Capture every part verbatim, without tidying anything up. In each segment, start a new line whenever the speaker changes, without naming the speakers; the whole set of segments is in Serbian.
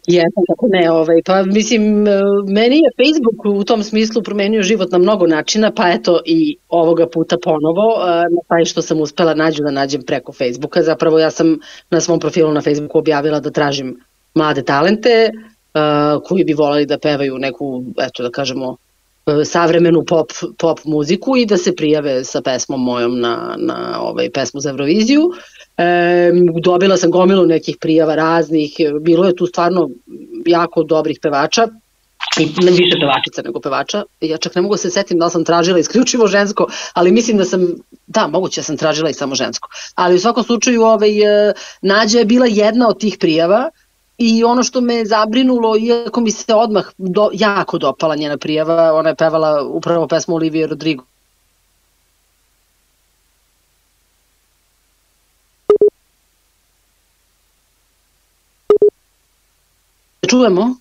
Jesam, kako ne, ovaj, pa mislim, meni je Facebook u tom smislu promenio život na mnogo načina, pa eto i ovoga puta ponovo, na taj što sam uspela nađu da nađem preko Facebooka. Zapravo ja sam na svom profilu na Facebooku objavila da tražim mlade talente uh, koji bi voleli da pevaju neku, eto da kažemo, savremenu pop, pop muziku i da se prijave sa pesmom mojom na, na ovaj, pesmu za Euroviziju. E, dobila sam gomilu nekih prijava raznih, bilo je tu stvarno jako dobrih pevača i ne više pevačica nego pevača. Ja čak ne mogu se setim da li sam tražila isključivo žensko, ali mislim da sam, da, moguće sam tražila i samo žensko. Ali u svakom slučaju ovaj, Nađa je bila jedna od tih prijava. I ono što me zabrinulo, iako mi se odmah do, jako dopala njena prijava, ona je pevala upravo pesmu Olivije Rodrigo. Čujemo?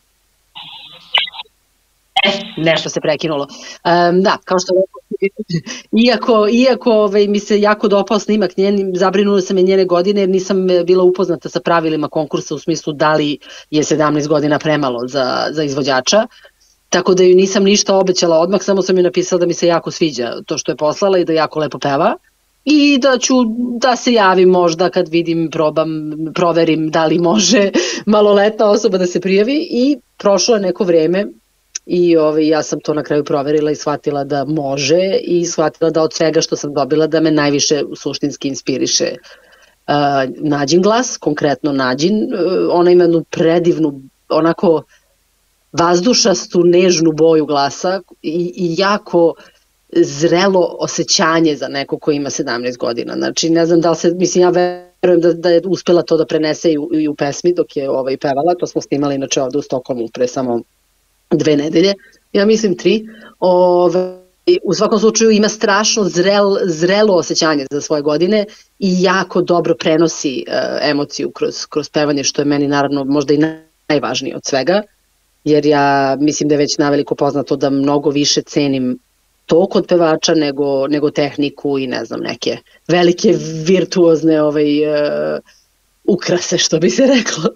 Nešto se prekinulo. Um, da, kao što iako, iako ovaj, mi se jako dopao snimak njen, zabrinula sam je njene godine jer nisam bila upoznata sa pravilima konkursa u smislu da li je sedamnaest godina premalo za, za izvođača, tako da ju nisam ništa obećala odmah, samo sam joj napisala da mi se jako sviđa to što je poslala i da jako lepo peva i da ću da se javim možda kad vidim, probam, proverim da li može maloletna osoba da se prijavi i prošlo je neko vreme. I ovaj, ja sam to na kraju proverila i shvatila da može i shvatila da od svega što sam dobila da me najviše suštinski inspiriše uh, Nađin glas, konkretno Nađin. Uh, ona ima jednu predivnu, onako vazdušastu, nežnu boju glasa i, i jako zrelo osjećanje za neko ko ima sedamnaest godina. Znači, ne znam da li se, mislim, ja verujem da, da je uspela to da prenese i u, i u pesmi dok je ovaj, pevala. To smo snimali inače ovde u Stokholmu pre samo dve nedelje, ja mislim tri. Ove, u svakom slučaju ima strašno zrel, zrelo osjećanje za svoje godine i jako dobro prenosi uh, emociju kroz, kroz pevanje, što je meni naravno možda i najvažnije od svega, jer ja mislim da je već naveliko poznato da mnogo više cenim to kod pevača nego, nego tehniku i ne znam, neke velike virtuozne ovaj, uh, ukrase, što bi se reklo.